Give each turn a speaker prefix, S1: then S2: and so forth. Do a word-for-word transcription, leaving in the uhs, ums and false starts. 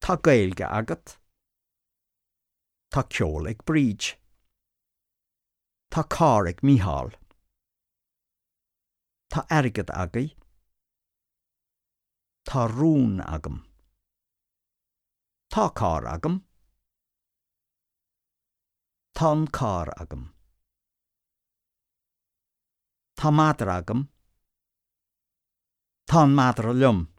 S1: Tá Gaeilge agat. Tá ceol ag Bríd. Tá carr ag Mícheál. Tá airgead agaibh. Tá rún agam. Tá carr agam. Tá an carr agam. Tá madra agam. Tá an madra liom.